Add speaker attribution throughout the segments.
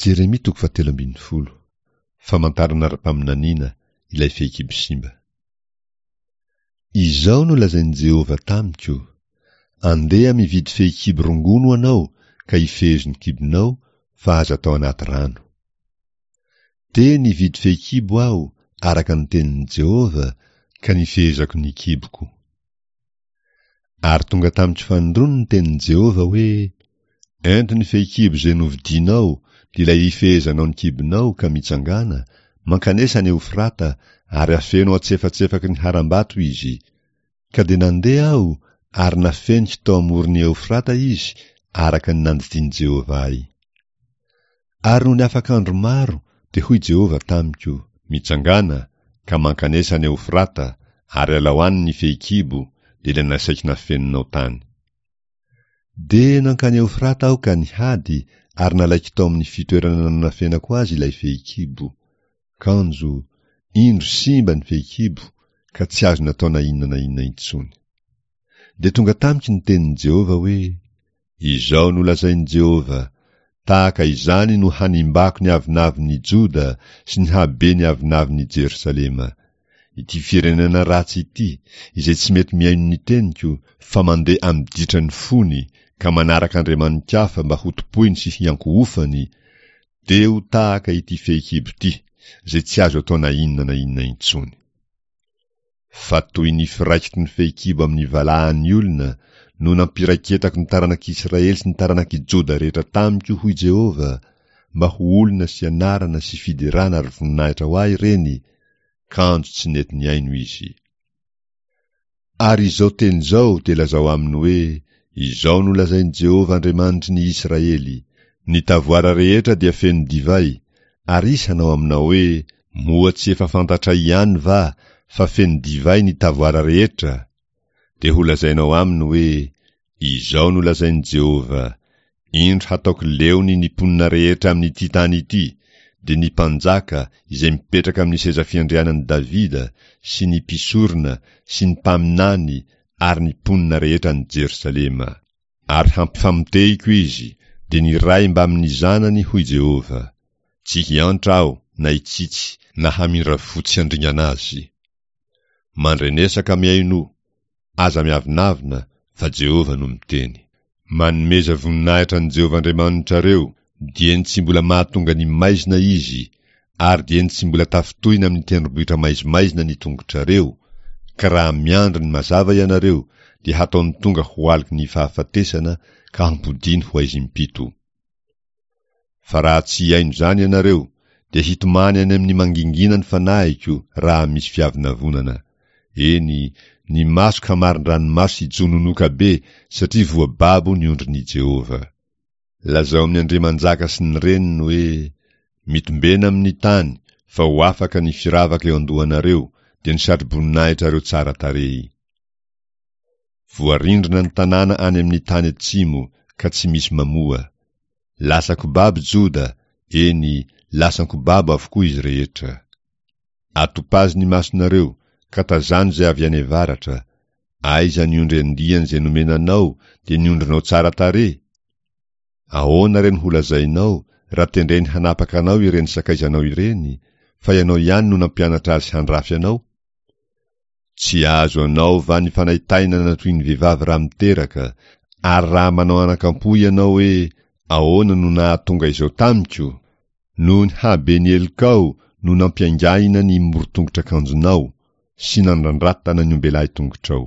Speaker 1: Jeremia toko fahatelo ambinifolo. Famantarana ara-paminaniana ilay fehikibo simba. Izao no lazain'i Jehovah tamiko, Andeha mividy fehikibo rongony ho anao ka ifehezo ny kibonao fa aza atao anaty rano. Dia nividy fehikibo aho araka ny tenin'i Jehovah ka nifehezako ny kiboko. Ary tonga tamiko fanindroany ny tenin'i Jehovah hoe, Ento ny fehikibo izay novidinao, dia ilay ifehezanao ny kibonao, ka mitsangàna, mankanesa any Eofrata, ary afeno atsefatsefaky ny harambato izy. Ka dia nandeha aho, ary nafeniko tao amoron'i Eofrata izy, araka ny nandidian'i Jehovah ahy. Ary nony afaka andro maro, dia hoy Jehovah tamiko, Mitsangàna, ka mankanesa any Eofrata, ary alao any ny fehikibo, dia ilay nasaiko nafeninao tany. Dia nankany Eofrata aho ka nihady, ary nalaiko tao amin'ny fitoerana nanafenako azy ilay fehikibo. Kanjo, indro simba ny fehikibo, ka tsy azo natao na inona na inona intsony. Dia tonga tamiko ny tenin'i Jehovah hoe, Izao no lazain'i Jehovah, Tahaka izany no hanimbako ny avonavon'i Joda sy ny haben'ny avonavon'i Jerosalema. Ity firenena ratsy ity, izay tsy mety mihaino ny teniko, fa mandeha amin'ny ditran'ny fony, ka manaraka andriamani-kafa mba hotompoiny sy hiankohofany, dia ho tahaka ity fehikibo ity, izay tsy azo atao na inona na inona intsony. Fa toy ny firaikitry ny fehikibo amin'ny valahan'ny olona no nampiraiketako ny taranak'Israely sy ny taranak'i Joda rehetra tamiko, hoy Jehovah, mba ho olona sy anarana sy fiderana ary voninahitra ho ahy ireny, kanjo tsy nety nihaino izy. Ary izao teny izao dia lazao aminy hoe, Izao no lazain'i Jehovah Andriamanitry ny Israely, Ny tavoara rehetra dia feno divay, ary izy hanao aminao hoe, Moa tsy efa fantatray ihany va fa feno divay ny tavoara rehetra? Dia holazainao aminy hoe, Izao no lazain'i Jehovah, Indro hataoko leony ny mponina rehetra amin'ity tany ity, dia ny mpanjaka izay mipetraka amin'ny seza fiandrianan'i Davida sy ny mpisorona sy ny mpaminany ary ny mponina rehetra any Jerosalema. Ary hampifamotehiko izy, dia ny ray mbamin'ny zanany, hoy Jehovah. Tsy hiantra aho na hitsitsy na hamindra fo tsy handringana azy. Mandrenesa ka mihainoa, aza miavonavona, fa Jehovah no miteny. Manomeza voninahitra an'i Jehovah Andriamanitrareo, dieny tsy mbola mahatonga ny maizina izy, ary dieny tsy mbola tafintohina amin'ny tendrombohitra maizimaizina ny tongotrareo, ka raha miandry ny mazava ianareo, dia hataony tonga ho aloky ny fahafatesana ka hampodiany ho aizim-pito. Fa raha tsy hihaino izany ianareo, dia hitomany any amin'ny mangingina ny fanahiko raha misy fiavonavonana. Eny, ny masoko hamarin-dranomaso hijononoka be satria voababo ny ondrin'i Jehovah. Lazao amin'ny andriamanjaka sy ny reniny hoe, Mitombena amin'ny tany, fa ho afaka ny firavaka eo an-dohanareo, dia ny satroboninaahitrareo tsara tarehy. Voarindrina ny tanàna any amin'ny tany atsimo, ka tsy misy mamoha. Lasan-ko babo Joda, eny, lasan-ko babo avokoa izy rehetra. Atopazy ny masonareo, ka tazano izay avy any avaratra. Aiza ny ondry andiany izay nomena anao, dia ny ondrinao tsara tarehy? Ahoana re no holazainao, raha tendreny hanapaka anao ireny sakaizanao ireny, fa ianao ihany no nampianatra azy handrafy anao? Tsy azo anao va ny fanaintainana toy ny vehivavy raha miteraka, ary raha manao anakampo ianao hoe, Ahoana no nahatonga izao tamiko? Noho ny haben'ny helokao no nampiaingahina ny morontongotr'akanjonao, sy nandrandratana ny ombelahy tongotrao.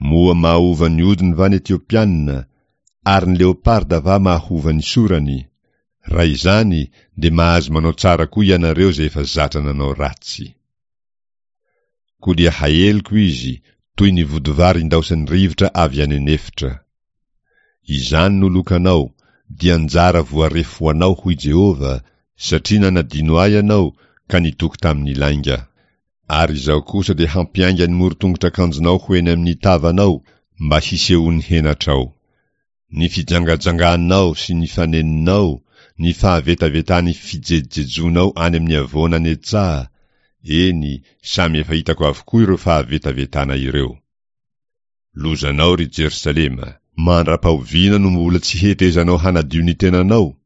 Speaker 1: Moa mahova ny hodiny va ny Etiopiana, ary ny leoparda va mahova ny sorany? Raha izany, dia mahazo manao tsara koa ianareo izay efa zatra nanao ratsy. Koa dia haheliko izy, toy ny vodivary indaosan'ny rivotra avy any an'efitra. Izany no lokanao, dia anjara voarefy ho anao, hoy Jehovah, satria nanadino ahy ianao ka nitoky tamin'ny lainga. Ary Izaho kosa dia hampiainga ny morontongotr'akanjonao ho eny amin'ny tavanao, mba hisehoan'ny henatrao. Ny fijangajanganao sy ny fanenonao, ny fahavetavetan'ny fijejojejonao any amin'ny havoana any an-tsaha, eny, samy efa hitako avokoa ireo fahavetavetana ireo. Lozanao, ry Jerosalema! Mandra-pahoviana no mbola tsy hetezanao hanadio ny tenanao?